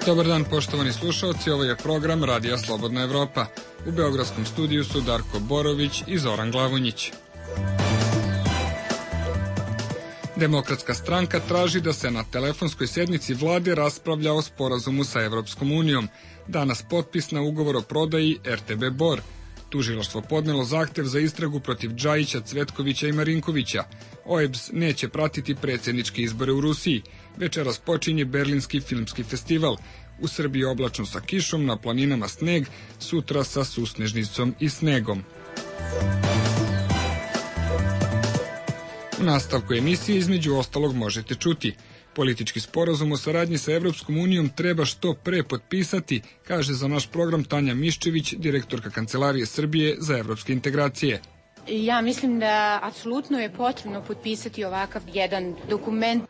Dobar dan, poštovani slušalci, ovo je program Radija Slobodna Evropa. U beogradskom studiju su Darko Borović i Zoran Glavonjić. Demokratska stranka traži da se na telefonskoj sednici vlade raspravlja o sporazumu sa Evropskom unijom. Danas potpis na ugovor o prodaji RTB Bor. Tužilaštvo podnelo zahtev za istragu protiv Džajića, Cvetkovića i Marinkovića. OEBS neće pratiti predsjedničke izbore u Rusiji. Večeras počinje Berlinski filmski festival. U Srbiji oblačno sa kišom, na planinama sneg, sutra sa susnežnicom i snegom. U nastavku emisije između ostalog možete čuti: politički sporazum o saradnji sa Evropskom unijom treba što pre potpisati, kaže za naš program Tanja Miščević, direktorka Kancelarije Srbije za evropske integracije. Ja mislim da apsolutno je potrebno potpisati ovakav jedan dokument.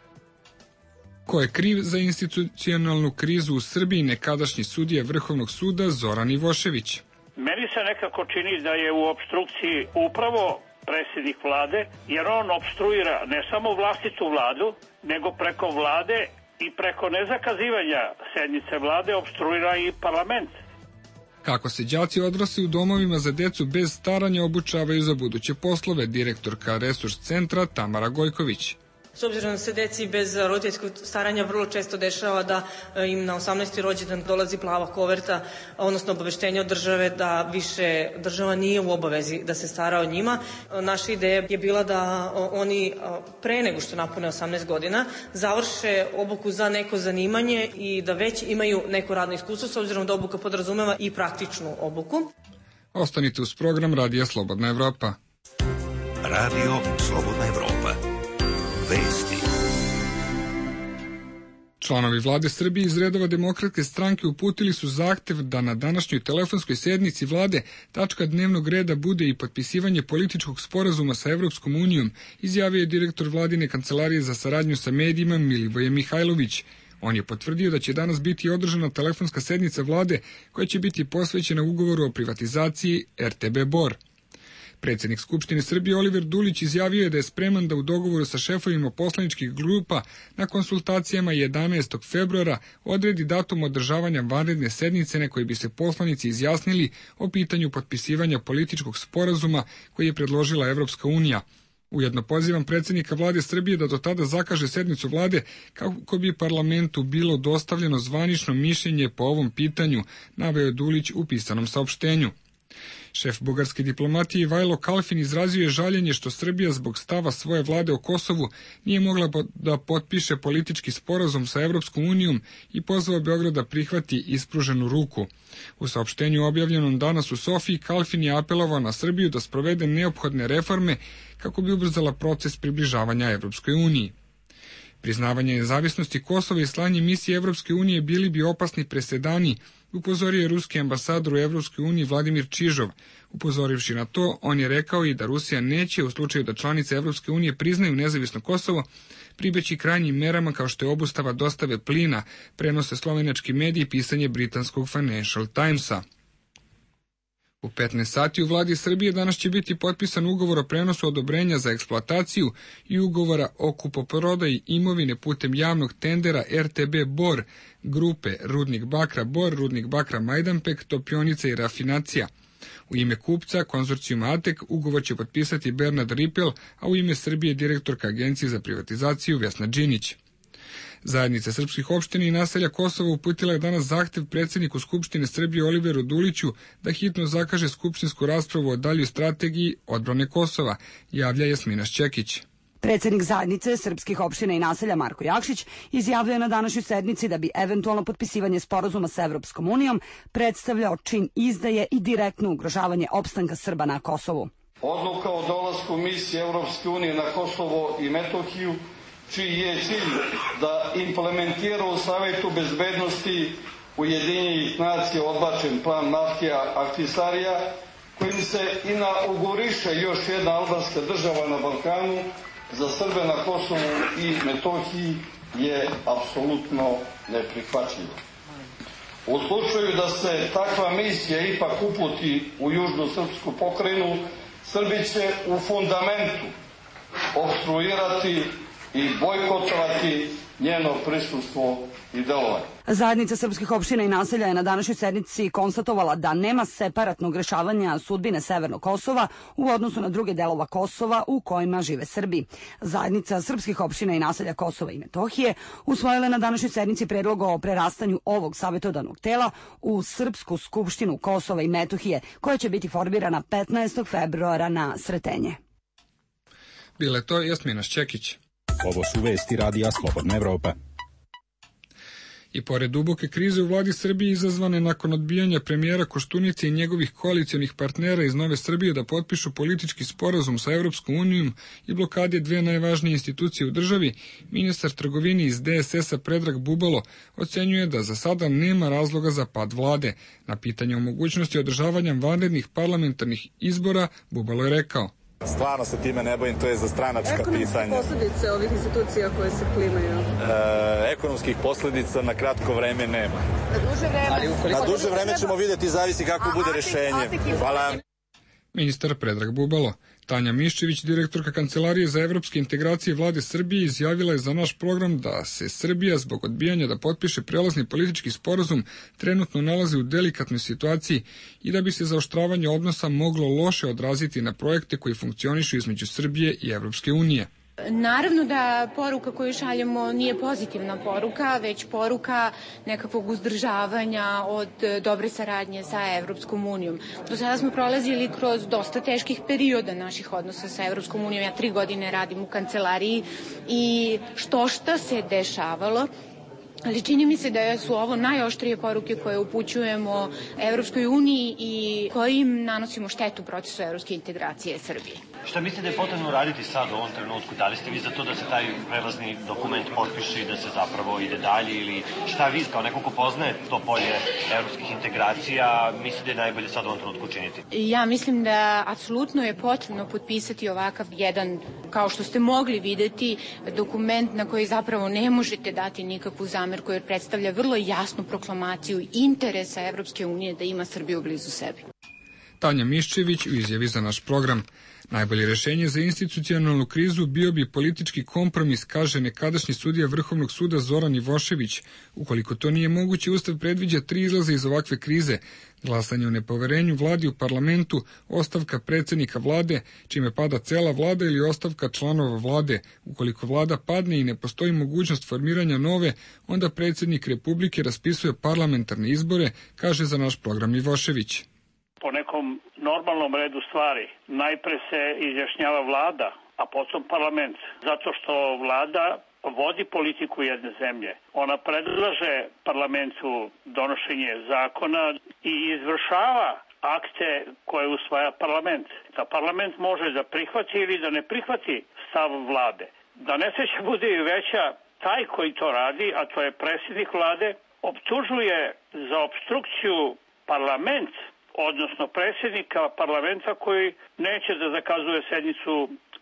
Ko je kriv za institucionalnu krizu u Srbiji, nekadašnji sudija Vrhovnog suda Zoran Ivošević. Meni se nekako čini da je u opstrukciji upravo predsjednik vlade, jer on opstruira ne samo vlastitu vladu, nego preko vlade i preko nezakazivanja sednice vlade opstruira i parlament. Kako se đaci odrasli u domovima za decu bez staranja obučavaju za buduće poslove, direktorka Resurs centra Tamara Gojković. S obzirom da se deci bez roditeljskog staranja vrlo često dešava da im na 18. rođendan dolazi plava koverta, odnosno obaveštenje od države da više država nije u obavezi da se stara o njima. Naša ideja je bila da oni pre nego što napune 18 godina završe obuku za neko zanimanje i da već imaju neko radno iskustvo, s obzirom da obuka podrazumeva i praktičnu obuku. Ostanite uz program Radija Slobodna Evropa. Radio Slobodna Evropa. Vesti. Članovi vlade Srbije iz redova Demokratske stranke uputili su zahtev da na današnjoj telefonskoj sednici vlade tačka dnevnog reda bude i potpisivanje političkog sporazuma sa Evropskom unijom, izjavio je direktor vladine kancelarije za saradnju sa medijima Milivoje Mihajlović. On je potvrdio da će danas biti održana telefonska sednica vlade koja će biti posvećena ugovoru o privatizaciji RTB Bor. Predsjednik Skupštine Srbije Oliver Dulić izjavio je da je spreman da u dogovoru sa šefovima poslaničkih grupa na konsultacijama 11. februara odredi datum održavanja vanredne sednice na kojoj bi se poslanici izjasnili o pitanju potpisivanja političkog sporazuma koji je predložila Evropska unija. Ujedno pozivam predsjednika vlade Srbije da do tada zakaže sednicu vlade kako bi parlamentu bilo dostavljeno zvanično mišljenje po ovom pitanju, naveo Dulić u pisanom saopštenju. Šef bugarske diplomatije Ivajlo Kalfin izrazio je žaljenje što Srbija zbog stava svoje vlade o Kosovu nije mogla da potpiše politički sporazum sa Evropskom unijom i pozvao Beograd da prihvati ispruženu ruku. U saopštenju objavljenom danas u Sofiji, Kalfin je apelovao na Srbiju da sprovede neophodne reforme kako bi ubrzala proces približavanja Evropskoj uniji. Priznavanje nezavisnosti Kosova i slanje misije Evropske unije bili bi opasni presedani, upozorio je ruski ambasador u Evropskoj uniji Vladimir Čižov. Upozorivši na to, on je rekao i da Rusija neće, u slučaju da članice Evropske unije priznaju nezavisno Kosovo, pribeći krajnjim merama kao što je obustava dostave plina, prenose slovenački mediji i pisanje britanskog Financial Timesa. U 15 sati u vladi Srbije danas će biti potpisan ugovor o prenosu odobrenja za eksploataciju i ugovora o kupoprodaji imovine putem javnog tendera RTB Bor, grupe Rudnik Bakra Bor, Rudnik Bakra Majdanpek, Topionica i Rafinacija. U ime kupca, konzorcijuma ATEK, ugovor će potpisati Bernard Ripel, a u ime Srbije direktorka Agencije za privatizaciju Vesna Đinić. Zajednica srpskih opština i naselja Kosova uputila je danas zahtev predsjedniku Skupštine Srbije Oliveru Duliću da hitno zakaže skupštinsku raspravu o daljoj strategiji odbrane Kosova, javlja Jasmina Šćekić. Predsjednik zajednice srpskih opština i naselja Marko Jakšić izjavljuje na današnjoj sednici da bi eventualno potpisivanje sporazuma sa Evropskom unijom predstavljao čin izdaje i direktno ugrožavanje opstanka Srba na Kosovu. Odluka o dolasku misije Evropske unije na Kosovo i Metohiju, čiji je cilj da implementira u Savetu bezbednosti Ujedinjenih nacija odbačen plan Maftija Ahtisarija, kojim se inauguriše još jedna albanska država na Balkanu, za Srbe na Kosovu i Metohiji je apsolutno neprihvatljivo. U slučaju da se takva misija ipak uputi u južnu srpsku pokrajinu, Srbi će u fundamentu opstruirati i bojkotovati njeno prisustvo i delovanja. Zajednica srpskih opština i naselja je na današnjoj sednici konstatovala da nema separatnog rešavanja sudbine Severnog Kosova u odnosu na druge delova Kosova u kojima žive Srbi. Zajednica srpskih opština i naselja Kosova i Metohije usvojila na današnjoj sednici predlog o prerastanju ovog savjetodavnog tela u Srpsku skupštinu Kosova i Metohije, koja će biti formirana 15. februara na Sretenje. Bila je to Jasmina Šćekić. Ovo su vesti Radija Slobodna Evropa. I pored duboke krize u vladi Srbije izazvane nakon odbijanja premijera Koštunice i njegovih koalicionih partnera iz Nove Srbije da potpišu politički sporazum sa Evropskom unijom i blokade dve najvažnije institucije u državi, ministar trgovine iz DSS-a Predrag Bubalo ocenjuje da za sada nema razloga za pad vlade. Na pitanje o mogućnosti održavanja vanrednih parlamentarnih izbora Bubalo je rekao: Stvarno se time ne bojim, to je za stranačka pitanja. Ekonomske posledice ovih institucija koje se klimaju? Ekonomskih posledica na kratko vreme nema. Na duže vreme ćemo vidjeti, zavisi kako bude rešenje. Hvala. Ministar Predrag Bubalo. Tanja Miščević, direktorka Kancelarije za evropske integracije vlade Srbije, izjavila je za naš program da se Srbija zbog odbijanja da potpiše prelazni politički sporazum trenutno nalazi u delikatnoj situaciji i da bi se zaoštravanje odnosa moglo loše odraziti na projekte koji funkcionišu između Srbije i Evropske unije. Naravno da poruka koju šaljemo nije pozitivna poruka, već poruka nekakvog uzdržavanja od dobre saradnje sa Evropskom unijom. Do sada smo prolazili kroz dosta teških perioda naših odnosa sa Evropskom unijom. Ja 3 godine radim u kancelariji i šta se dešavalo. Ali čini mi se da su ovo najoštrije poruke koje upućujemo Evropskoj uniji i kojim nanosimo štetu procesu evropske integracije Srbije. Šta mislite da je potrebno raditi sad u ovom trenutku? Da li ste vi za to da se taj prelazni dokument potpiše i da se zapravo ide dalje, ili šta vi kao neko ko poznaje to polje evropskih integracija mislite da je najbolje sad u ovom trenutku učiniti? Ja mislim da apsolutno je potrebno potpisati ovakav jedan, kao što ste mogli videti, dokument na koji zapravo ne možete dati nikakvu zamerku, jer predstavlja vrlo jasnu proklamaciju interesa Evropske unije da ima Srbiju blizu sebi. Tanja Miščević u izjavi za naš program. Najbolje rešenje za institucionalnu krizu bio bi politički kompromis, kaže nekadašnji sudija Vrhovnog suda Zoran Ivošević. Ukoliko to nije moguće, Ustav predviđa 3 izlaza iz ovakve krize: glasanje o nepoverenju vladi u parlamentu, ostavka predsjednika vlade, čime pada cela vlada, ili ostavka članova vlade. Ukoliko vlada padne i ne postoji mogućnost formiranja nove, onda predsjednik Republike raspisuje parlamentarne izbore, kaže za naš program Ivošević. Po nekom normalnom redu stvari najpre se izjašnjava vlada, a potom parlament. Zato što vlada vodi politiku jedne zemlje. Ona predlaže parlamentu donošenje zakona i izvršava akte koje usvaja parlament. Da parlament može da prihvati ili da ne prihvati stav vlade. Da nesreća bude i veća, taj koji to radi, a to je predsjednik vlade, optužuje za opstrukciju parlament, odnosno predsjednika parlamenta koji neće da zakazuje sednicu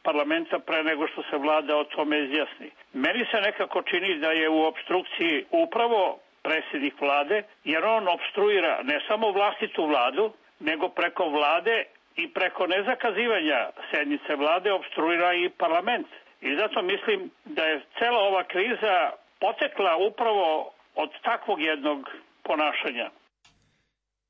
parlamenta pre nego što se vlada o tome izjasni. Meni se nekako čini da je u opstrukciji upravo predsjednik vlade, jer on opstruira ne samo vlastitu vladu, nego preko vlade i preko nezakazivanja sednice vlade opstruira i parlament. I zato mislim da je cela ova kriza potekla upravo od takvog jednog ponašanja.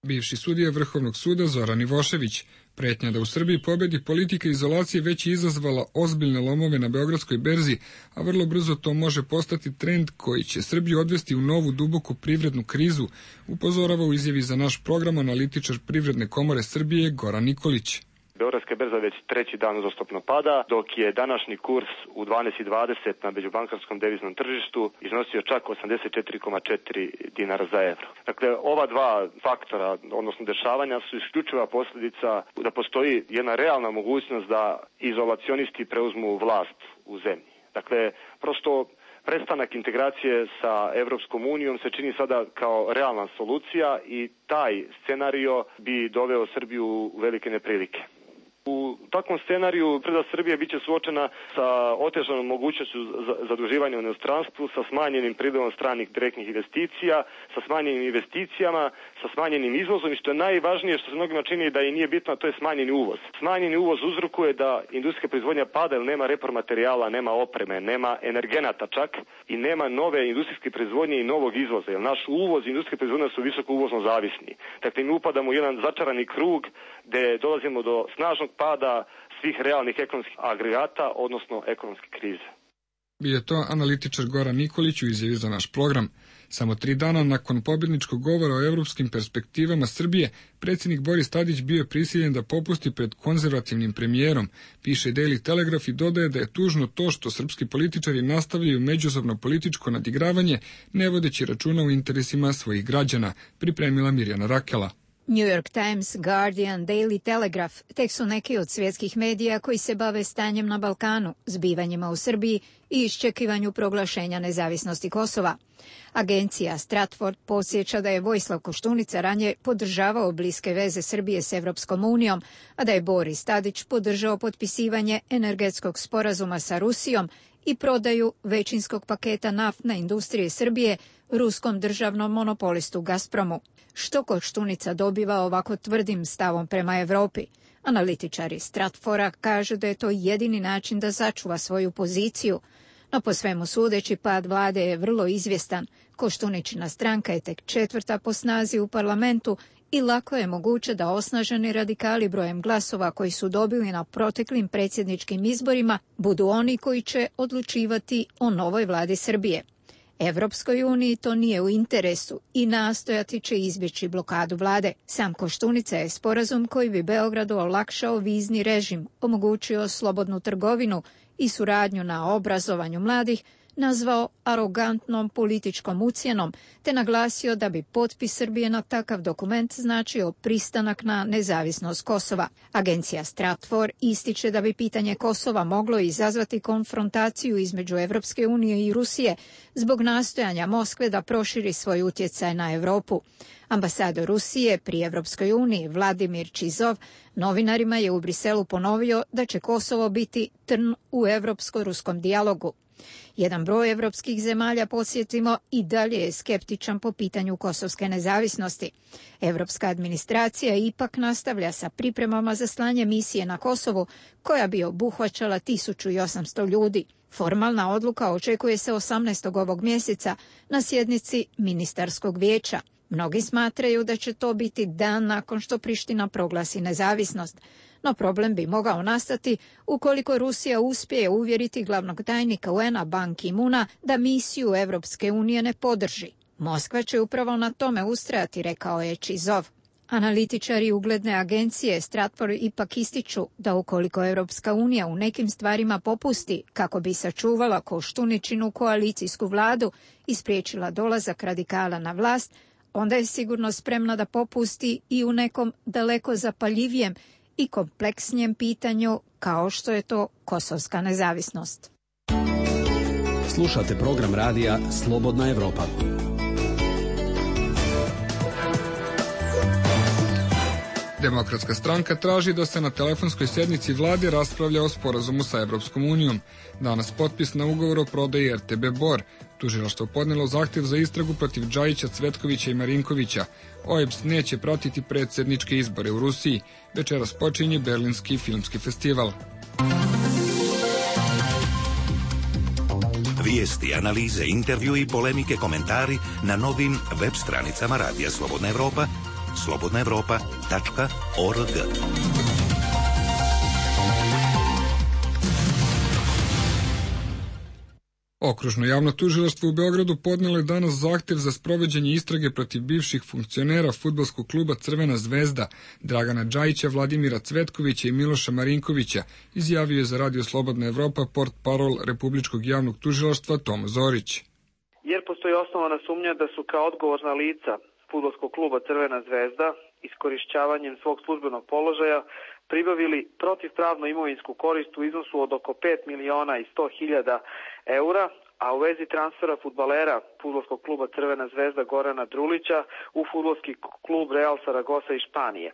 Bivši sudija Vrhovnog suda Zoran Ivošević. Pretnja da u Srbiji pobedi politika izolacije već je izazvala ozbiljne lomove na Beogradskoj berzi, a vrlo brzo to može postati trend koji će Srbiju odvesti u novu duboku privrednu krizu, upozorava u izjavi za naš program analitičar Privredne komore Srbije Goran Nikolić. Beogradska berza već 3. dan uzastopno pada, dok je današnji kurs u 12,20 na međubankarskom deviznom tržištu iznosio čak 84,4 dinara za evro. Dakle, ova dva faktora, odnosno dešavanja, su isključiva posljedica da postoji jedna realna mogućnost da izolacionisti preuzmu vlast u zemlji. Dakle, prosto prestanak integracije sa Evropskom unijom se čini sada kao realna solucija i taj scenario bi doveo Srbiju u velike neprilike. U takvom scenariju privreda Srbije biće suočena sa otežanom mogućnošću zaduživanja u inostranstvu, sa smanjenim prilivom stranih direktnih investicija, sa smanjenim investicijama, sa smanjenim izvozom i što je najvažnije, što se mnogima čini da i nije bitno, to je smanjeni uvoz. Smanjeni uvoz uzrokuje da industrijska proizvodnja pada jer nema repromaterijala, nema opreme, nema energenata čak i nema nove industrijske proizvodnje i novog izvoza, jer naš uvoz i industrijske proizvodnje su visoko uvozno zavisni. Dakle, mi upadamo u jedan začarani krug gde dolazimo do snažnog pada svih realnih ekonomskih agregata, odnosno ekonomske krize. Bio je to analitičar Goran Nikolić u izjavi za naš program. Samo 3 dana nakon pobjedničkog govora o evropskim perspektivama Srbije, predsjednik Boris Tadić bio je prisiljen da popusti pred konzervativnim premijerom, piše Daily Telegraph i dodaje da je tužno to što srpski političari nastavljaju međusobno političko nadigravanje, ne vodeći računa o interesima svojih građana, pripremila Mirjana Rakela. New York Times, Guardian, Daily Telegraph tek su neki od svjetskih medija koji se bave stanjem na Balkanu, zbivanjima u Srbiji i iščekivanju proglašenja nezavisnosti Kosova. Agencija Stratford podsjeća da je Vojislav Koštunica ranije podržavao bliske veze Srbije s Evropskom unijom, a da je Boris Tadić podržao potpisivanje energetskog sporazuma sa Rusijom i prodaju većinskog paketa naftne industrije Srbije ruskom državnom monopolistu Gazpromu. Što Koštunica dobiva ovako tvrdim stavom prema Evropi? Analitičari Stratfora kažu da je to jedini način da sačuva svoju poziciju, no po svemu sudeći pad vlade je vrlo izvjestan. Koštuničina stranka je tek 4. po snazi u parlamentu i lako je moguće da osnaženi radikali brojem glasova koji su dobili na proteklim predsjedničkim izborima budu oni koji će odlučivati o novoj vladi Srbije. Evropskoj uniji to nije u interesu i nastojati će izbjeći blokadu vlade. Sam Koštunica je sporazum koji bi Beogradu olakšao vizni režim, omogućio slobodnu trgovinu i suradnju na obrazovanju mladih, nazvao arogantnom političkom ucjenom, te naglasio da bi potpis Srbije na takav dokument značio pristanak na nezavisnost Kosova. Agencija Stratfor ističe da bi pitanje Kosova moglo izazvati konfrontaciju između Evropske unije i Rusije zbog nastojanja Moskve da proširi svoj utjecaj na Europu. Ambasador Rusije pri Evropskoj uniji Vladimir Čizov novinarima je u Briselu ponovio da će Kosovo biti trn u evropsko-ruskom dijalogu. Jedan broj evropskih zemalja, podsjetimo, i dalje je skeptičan po pitanju kosovske nezavisnosti. Evropska administracija ipak nastavlja sa pripremama za slanje misije na Kosovu, koja bi obuhvaćala 1800 ljudi. Formalna odluka očekuje se 18. ovog mjeseca na sjednici ministarskog vijeća. Mnogi smatraju da će to biti dan nakon što Priština proglasi nezavisnost. No problem bi mogao nastati ukoliko Rusija uspije uvjeriti glavnog tajnika UN-a Ban Ki-moona da misiju Evropske unije ne podrži. Moskva će upravo na tome ustrajati, rekao je Čizov. Analitičari ugledne agencije Stratfor ipak ističu da ukoliko Evropska unija u nekim stvarima popusti kako bi sačuvala Koštuničinu koalicijsku vladu i spriječila dolazak radikala na vlast, onda je sigurno spremna da popusti i u nekom daleko zapaljivijem i kompleksnijem pitanju kao što je to kosovska nezavisnost. Slušate program radija Slobodna Evropa. Demokratska stranka traži da se na telefonskoj sjednici vlade raspravlja o sporazumu sa Evropskom unijom. Danas potpis na ugovor o prodaji RTB Bor. Tužilaštvo podnelo zahtjev za istragu protiv Džajića, Cvetkovića i Marinkovića. OEBS neće pratiti predsjedničke izbore u Rusiji. Večeras počinje Berlinski filmski festival. Vijesti, analize, intervju i polemike, komentari na novim web stranicama Radija Slobodna Evropa, slobodnaevropa.org. Okružno javno tužilaštvo u Beogradu podnelo je danas zahtjev za sprovođenje istrage protiv bivših funkcionera fudbalskog kluba Crvena zvezda Dragana Džajića, Vladimira Cvetkovića i Miloša Marinkovića, izjavio je za Radio Slobodna Evropa portparol Republičkog javnog tužilaštva Tomo Zorić. Jer postoji osnovana sumnja da su kao odgovorna lica fudbalskog kluba Crvena zvezda iskorišćavanjem svog službenog položaja pribavili protivpravnu imovinsku korist u iznosu od oko 5.100.000 eura, a u vezi transfera fudbalera fudbalskog kluba Crvena zvezda Gorana Drulića u fudbalski klub Real Saragosa iz Španije.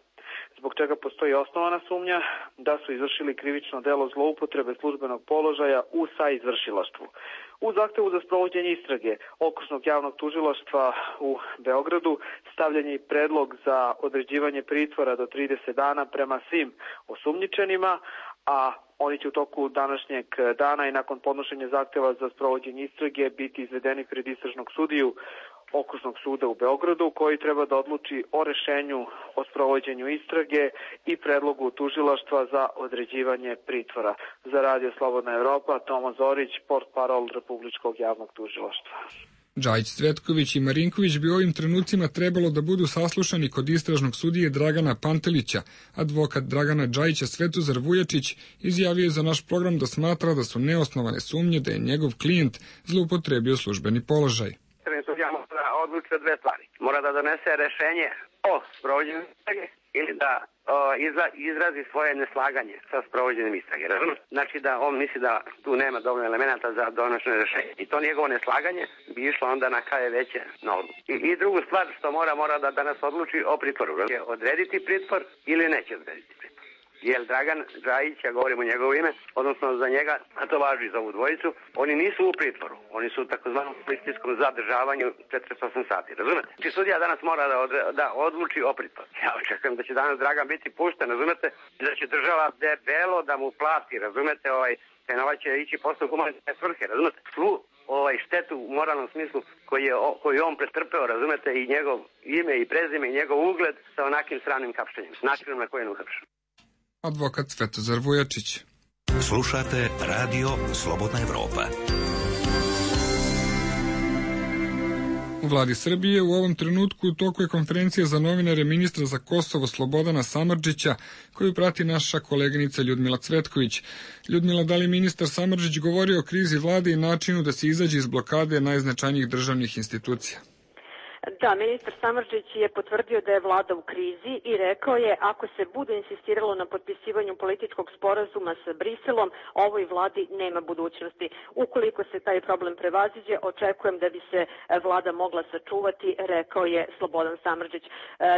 zbog čega postoji osnovana sumnja da su izvršili krivično delo zloupotrebe službenog položaja u saizvršilaštvu. U zahtevu za sprovođenje istrage Okružnog javnog tužilaštva u Beogradu stavljen je predlog za određivanje pritvora do 30 dana prema svim osumnjičenima, a oni će u toku današnjeg dana i nakon podnošenja zahteva za sprovođenje istrage biti izvedeni pred istražnog sudiju Okružnog suda u Beogradu, koji treba da odluči o rešenju o sprovođenju istrage i predlogu tužilaštva za određivanje pritvora. Za Radio Slobodna Evropa, Toma Zorić, portparol Republičkog javnog tužilaštva. Džajić, Cvetković i Marinković bi u ovim trenucima trebalo da budu saslušani kod istražnog sudije Dragana Pantelića. Advokat Dragana Džajića, Svetozar Vujačić, izjavio je za naš program da smatra da su neosnovane sumnje da je njegov klijent zloupotrebio službeni položaj. Sudija mora da odluči o dve stvari. Mora da donese rešenje o sprovođenju istrage ili da izrazi svoje neslaganje sa sprovođenjem istrage. Znači da on misli da tu nema dovoljno elemenata za donošenje rešenja. I to njegovo neslaganje bi išlo onda na KV veće na odluku. I drugu stvar što mora da danas odluči o pritvoru. Odrediti pritvor ili neće odrediti pritvor. Jer Dragan Džajić, ja govorim o njegovo ime, odnosno za njega, a to važi za ovu dvojicu, oni nisu u pritvoru, oni su u takozvanom policijskom zadržavanju 48 sati, razumete? Znači sudija danas mora da odluči o pritvoru. Ja očekujem da će danas Dragan biti pušten, razumete, da će država debelo da mu plati, razumete, te novac će ići posle humanitarne svrhe, razumete? Svu štetu u moralnom smislu koju on pretrpeo, razumete, i njegov ime i prezime i njegov ugled sa onakim sramnim kapštenjem, načinom na koji je uhapšen. Advokat Svetozar Vujačić. Slušate Radio Slobodna Evropa. U vladi Srbije u ovom trenutku u toku je konferencija za novinare ministra za Kosovo Slobodana Samardžića, koju prati naša koleginica Ljudmila Cvetković. Ljudmila, da li ministar Samardžić govori o krizi vlade i načinu da se izađe iz blokade najznačajnijih državnih institucija? Da, ministar Samardžić je potvrdio da je vlada u krizi i rekao je ako se bude insistiralo na potpisivanju političkog sporazuma sa Briselom, ovoj vladi nema budućnosti. Ukoliko se taj problem prevaziđe, očekujem da bi se vlada mogla sačuvati, rekao je Slobodan Samardžić.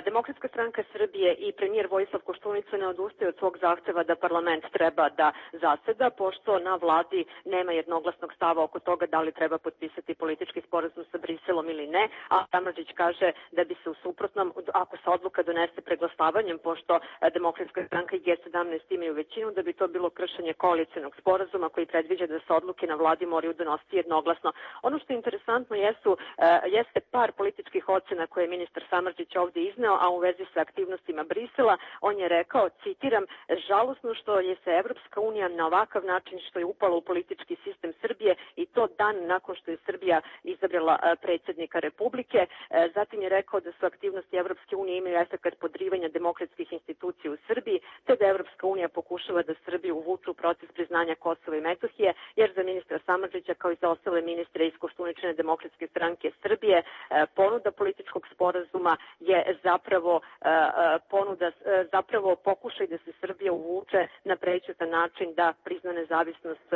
Demokratska stranka Srbije i premijer Vojislav Koštunica ne odustaje od svog zahteva da parlament treba da zaseda, pošto na vladi nema jednoglasnog stava oko toga da li treba potpisati politički sporazum sa Briselom ili ne, a Samardžić kaže da bi se u suprotnom, ako se odluka donese preglasavanjem, pošto Demokratska stranka i G17 imaju većinu, da bi to bilo kršenje koalicionog sporazuma koji predviđa da se odluke na vladi moraju donositi jednoglasno. Ono što je interesantno jeste par političkih ocena koje je ministar Samardžić ovde izneo, a u vezi sa aktivnostima Brisela. On je rekao, citiram, žalosno što je se Evropska unija na ovakav način što je upala u politički sistem Srbije i to dan nakon što je Srbija izabrala predsjednika Republike. Zatim je rekao da su aktivnosti Evropske unije imaju efekat podrivanja demokratskih institucija u Srbiji, te da Evropska unija pokušava da Srbiju uvuče u proces priznanja Kosova i Metohije, jer za ministra Samardžića kao i za ostale ministre iz Koštuničine demokratske stranke Srbije ponuda političkog sporazuma je zapravo pokušaj da se Srbija uvuče na prećutan način da prizna nezavisnost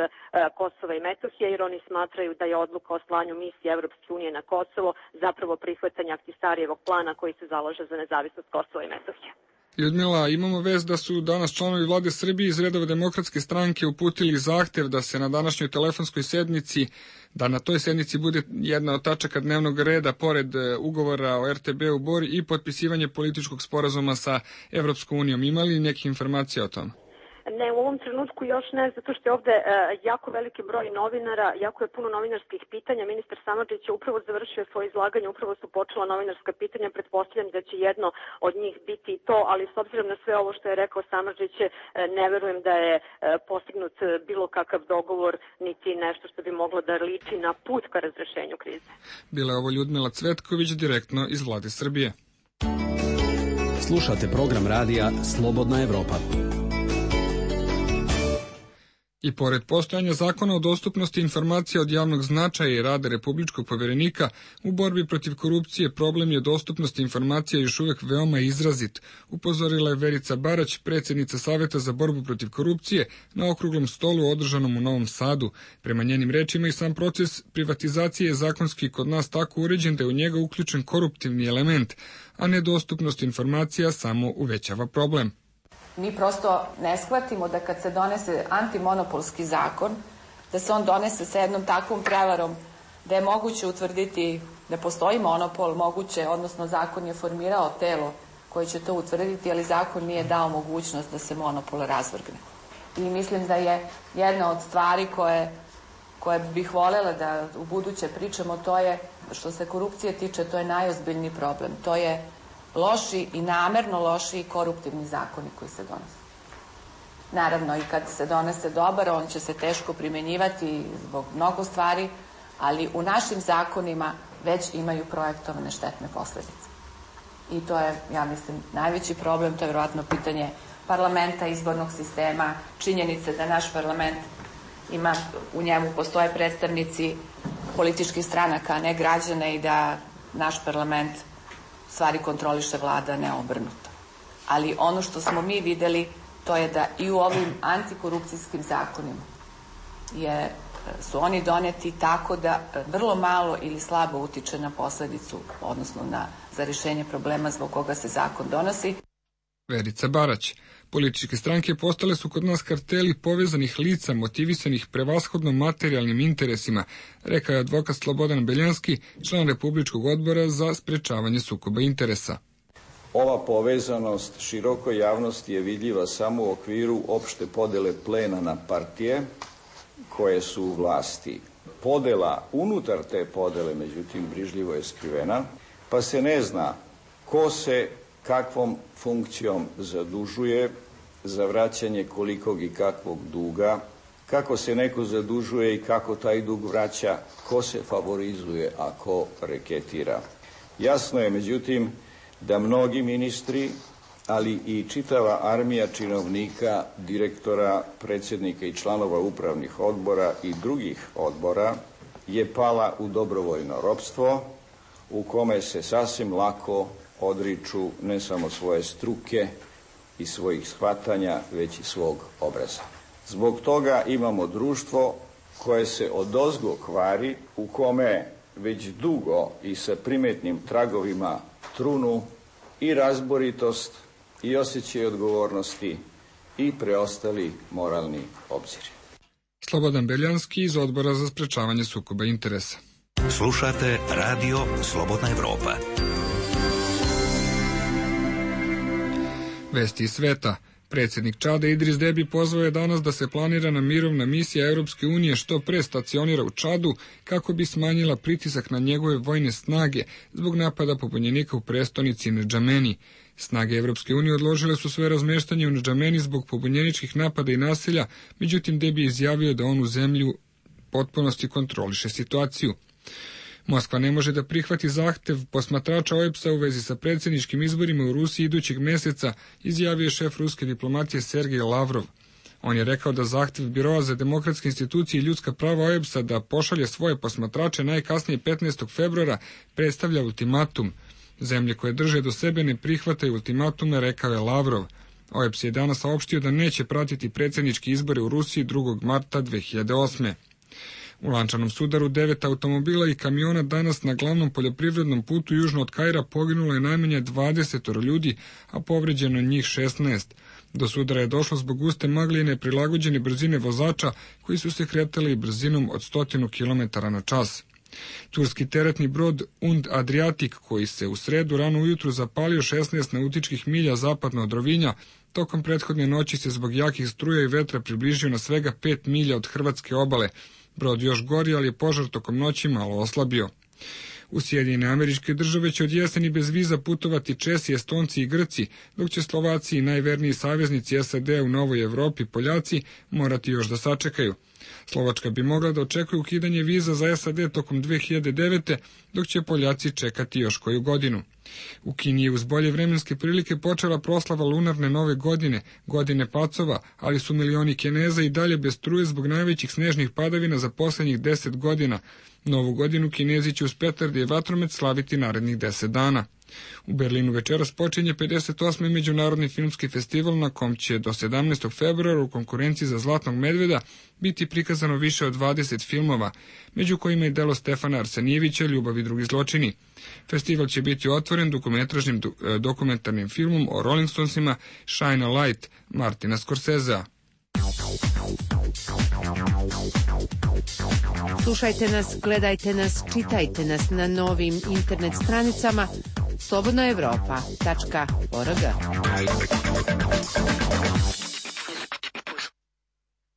Kosova i Metohije, jer oni smatraju da je odluka o slanju misije Evropske unije na Kosovo zapravo prihvatanja Ahtisarijevog plana koji se zalaže za nezavisnost Kosova i Metohije. Ljudmila, imamo vest da su danas članovi vlade Srbije iz redova Demokratske stranke uputili zahtev da se na današnjoj telefonskoj sednici, da na toj sednici bude jedna od tačaka dnevnog reda pored ugovora o RTB-u Bor i potpisivanje političkog sporazuma sa Evropskom unijom. Ima li neke informacije o tom? Ne, u ovom trenutku još ne, zato što je ovde jako veliki broj novinara, jako je puno novinarskih pitanja. Ministar Samardžić je upravo završio svoje izlaganje, upravo su počela novinarska pitanja, pretpostavljam da će jedno od njih biti i to, ali s obzirom na sve ovo što je rekao Samardžić, ne verujem da je postignut bilo kakav dogovor, niti nešto što bi moglo da liči na put ka razrešenju krize. Bila je ovo Ljudmila Cvetković, direktno iz vlade Srbije. Slušate program radija Slobodna Evropa. I pored postojanja zakona o dostupnosti informacija od javnog značaja i rada Republičkog povjerenika, u borbi protiv korupcije problem je dostupnosti informacija još uvijek veoma izrazit, upozorila je Verica Barać, predsjednica Saveta za borbu protiv korupcije, na okruglom stolu održanom u Novom Sadu. Prema njenim rečima i sam proces privatizacije je zakonski kod nas tako uređen da je u njega uključen koruptivni element, a nedostupnost informacija samo uvećava problem. Mi prosto ne shvatimo da kad se donese antimonopolski zakon, da se on donese sa jednom takvom prevarom da je moguće utvrditi da postoji monopol, moguće, odnosno zakon je formirao telo koje će to utvrditi, ali zakon nije dao mogućnost da se monopol razvrgne. I mislim da je jedna od stvari koje bih voljela da u buduće pričamo, to je, što se korupcije tiče, to je najozbiljniji problem. To je loši i namerno loši i koruptivni zakoni koji se donose. Naravno, i kad se donese dobar, on će se teško primjenjivati zbog mnogo stvari, ali u našim zakonima već imaju projektovane štetne posljedice. I to je, ja mislim, najveći problem, to je vjerojatno pitanje parlamenta, izbornog sistema, činjenice da naš parlament ima, u njemu postoje predstavnici političkih stranaka, a ne građane, i da naš parlament stvari kontroliše vlada, ne obrnuto. Ali ono što smo mi videli, to je da i u ovim antikorupcijskim zakonima su oni doneti tako da vrlo malo ili slabo utiče na posljedicu, odnosno za rješenje problema zbog koga se zakon donosi. Verica Barać. Političke stranke postale su kod nas karteli povezanih lica motivisanih prevashodno materijalnim interesima, rekao je advokat Slobodan Beljanski, član Republičkog odbora za sprečavanje sukoba interesa. Ova povezanost širokoj javnosti je vidljiva samo u okviru opšte podele plena na partije koje su u vlasti. Podela unutar te podele, međutim, brižljivo je skrivena, pa se ne zna ko se kakvom funkcijom zadužuje za vraćanje kolikog i kakvog duga, kako se neko zadužuje i kako taj dug vraća, ko se favorizuje, a ko reketira. Jasno je, međutim, da mnogi ministri, ali i čitava armija činovnika, direktora, predsjednika i članova upravnih odbora i drugih odbora je pala u dobrovoljno ropstvo, u kome se sasvim lako odriču ne samo svoje struke i svojih shvatanja, već i svog obraza. Zbog toga imamo društvo koje se odozgo kvari, u kome već dugo i sa primetnim tragovima trunu i razboritost i osjećaj odgovornosti i preostali moralni obziri. Slobodan Beljanski iz Odbora za sprečavanje sukoba interesa. Slušate Radio Slobodna Evropa. Vesti iz sveta. Predsjednik Čada Idris Debi pozvao je danas da se planirana mirovna misija Europske unije što pre stacionira u Čadu kako bi smanjila pritisak na njegove vojne snage zbog napada pobunjenika u prestonici Ndžameni. Snage Europske unije odložile su sve razmeštanje u Ndžameni zbog pobunjeničkih napada i nasilja, međutim Debi je izjavio da on u zemlju potpunosti kontroliše situaciju. Moskva ne može da prihvati zahtev posmatrača OEBS-a u vezi sa predsjedničkim izborima u Rusiji idućeg mjeseca, izjavio je šef ruske diplomatije Sergej Lavrov. On je rekao da zahtev Biroa za demokratske institucije i ljudska prava OEBS-a da pošalje svoje posmatrače najkasnije 15. februara predstavlja ultimatum. Zemlje koje drže do sebe ne prihvataju ultimatume, rekao je Lavrov. OEBS je danas saopštio da neće pratiti predsjedničke izbore u Rusiji 2. marta 2008. U lančanom sudaru 9 automobila i kamiona danas na glavnom poljoprivrednom putu južno od Kaira poginulo je najmanje 20 ljudi, a povređeno njih 16. Do sudara je došlo zbog guste magle i neprilagođene brzine vozača koji su se kretali brzinom od 100 km na čas. Turski teretni brod Und Adriatic, koji se u sredu rano ujutru zapalio 16 nautičkih milja zapadno od Rovinja, tokom prethodne noći se zbog jakih struja i vetra približio na svega 5 milja od hrvatske obale. Brod još gori, ali je požar tokom noći malo oslabio. U Sjedinjene Američke Države će od jeseni bez viza putovati Česi, Estonci i Grci, dok će Slovaci i najverniji saveznici SAD u Novoj Evropi, Poljaci, morati još da sačekaju. Slovačka bi mogla da očekuje ukidanje viza za SAD tokom 2009. dok će Poljaci čekati još koju godinu. U Kini je uz bolje vremenske prilike počela proslava lunarne nove godine, godine pacova, ali su milioni Kineza i dalje bez struje zbog najvećih snežnih padavina za poslednjih 10 godina. Novu godinu Kinezi će uz petarde i vatromet slaviti narednih 10 dana. U Berlinu večeras počinje 58. međunarodni filmski festival na kom će do 17. februara u konkurenciji za Zlatnog medveda biti prikazano više od 20 filmova, među kojima je delo Stefana Arsenijevića Ljubav i drugi zločini. Festival će biti otvoren dugometražnim dokumentarnim filmom o Rolling Stonesima Shine a Light Martina Scorsesea. Slušajte nas, gledajte nas, čitajte nas na novim internet stranicama slobodnaevropa.org.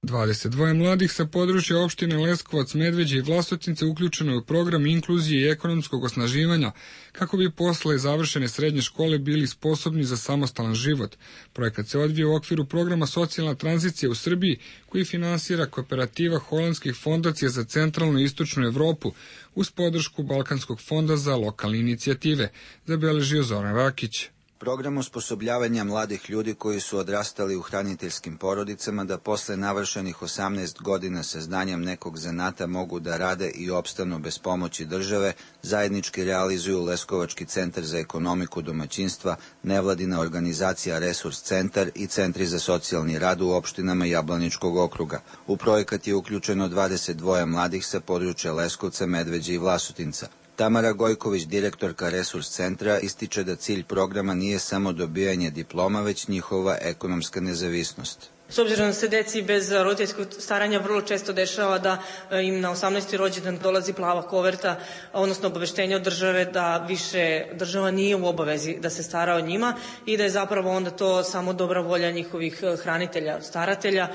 22 mladih sa područja opštine Leskovac, Medveđe i Vlasotince uključeno je u program inkluzije i ekonomskog osnaživanja kako bi posle završene srednje škole bili sposobni za samostalan život. Projekat se odvija u okviru programa Socijalna tranzicija u Srbiji koji finansira kooperativa holandskih fondacija za centralnu i istočnu Evropu uz podršku Balkanskog fonda za lokalne inicijative, zabeležio Zoran Rakić. Program osposobljavanja mladih ljudi koji su odrastali u hraniteljskim porodicama da posle navršenih 18 godina sa znanjem nekog zanata mogu da rade i opstanu bez pomoći države, zajednički realizuju Leskovački centar za ekonomiku domaćinstva, nevladina organizacija Resurs centar i centri za socijalni rad u opštinama Jablaničkog okruga. U projekat je uključeno 22 mladih sa područja Leskovca, Medveđe i Vlasotinca. Tamara Gojković, direktorka Resurs centra, ističe da cilj programa nije samo dobijanje diploma, već njihova ekonomska nezavisnost. S obzirom da se deci bez roditeljskog staranja vrlo često dešava da im na 18. rođendan dolazi plava koverta, odnosno obaveštenje od države da više država nije u obavezi da se stara o njima i da je zapravo onda to samo dobra volja njihovih hranitelja, staratelja.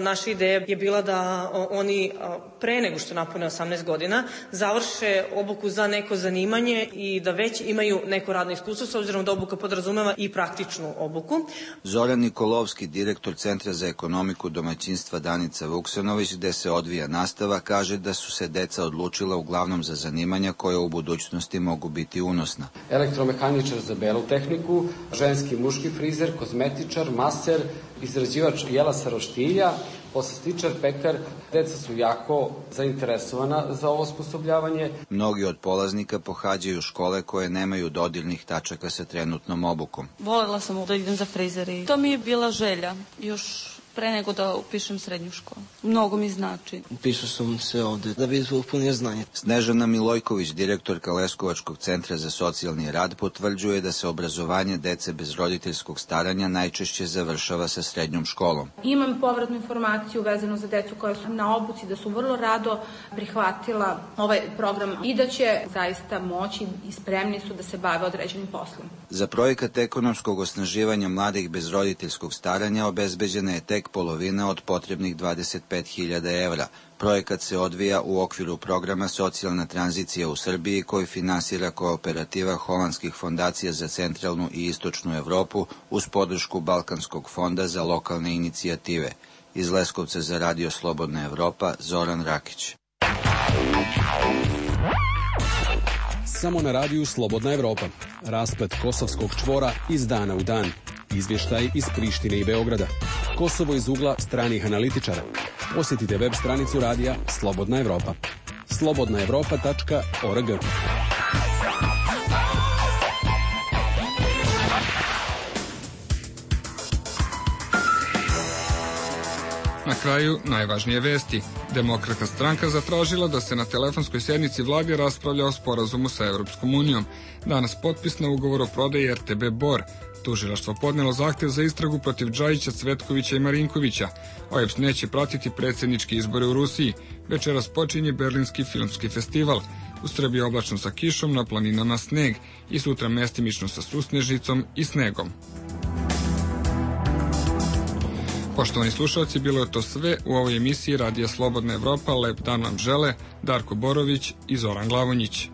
Naša ideja je bila da oni pre nego što napune 18 godina završe obuku za neko zanimanje i da već imaju neko radno iskustvo, s obzirom da obuka podrazumeva i praktičnu obuku. Zoran Nikolovski, direktor Centra za ekonomiku domaćinstva Danica Vuksanović, gde se odvija nastava, kaže da su se deca odlučila uglavnom za zanimanja koja u budućnosti mogu biti unosna. Elektromehaničar za belu tehniku, ženski muški frizer, kozmetičar, maser, izrađivač jela sa roštilja, poslastičar, pekar. Deca su jako zainteresovana za ovo osposobljavanje. Mnogi od polaznika pohađaju škole koje nemaju dodirnih tačaka sa trenutnom obukom. Volela sam da idem za frizer i to mi je bila želja još pre nego da upišem srednju školu. Mnogo mi znači. Upisao sam se ovde da bi upunio znanje. Snežana Milojković, direktorka Leskovačkog centra za socijalni rad, potvrđuje da se obrazovanje dece bez roditeljskog staranja najčešće završava sa srednjom školom. Imam povratnu informaciju vezanu za decu koja su na obuci, da su vrlo rado prihvatila ovaj program i da će zaista moći i spremni su da se bave određenim poslom. Za projekat ekonomskog osnaživanja mladih bez roditeljskog staranja obezbeđena je tek polovina od potrebnih 25.000 evra. Projekat se odvija u okviru programa Socijalna tranzicija u Srbiji koji finansira kooperativa holandskih fondacija za centralnu i istočnu Evropu uz podršku Balkanskog fonda za lokalne inicijative. Iz Leskovca za Radio Slobodna Evropa, Zoran Rakić. Samo na radiju Slobodna Evropa. Rasplet kosovskog čvora iz dana u dan. Izvještaj iz Prištine i Beograda. Kosovo iz ugla stranih analitičara. Posjetite web stranicu radija Slobodna Evropa. slobodnaevropa.org. Na kraju, najvažnije vesti. Demokratska stranka zatražila da se na telefonskoj sednici vlade raspravlja o sporazumu sa Evropskom unijom. Danas potpis na ugovor o prodaji RTB Bor. Tužilaštvo podnelo zahtev za istragu protiv Džajića, Cvetkovića i Marinkovića. OEBS neće pratiti predsjedničke izbore u Rusiji. Večeras počinje Berlinski filmski festival. U Srbiji oblačno sa kišom, na planinama sneg i sutra mestimično sa susnežicom i snegom. Poštovani slušalci, bilo je to sve u ovoj emisiji Radija Slobodna Evropa. Lep dan vam žele Darko Borović i Zoran Glavonjić.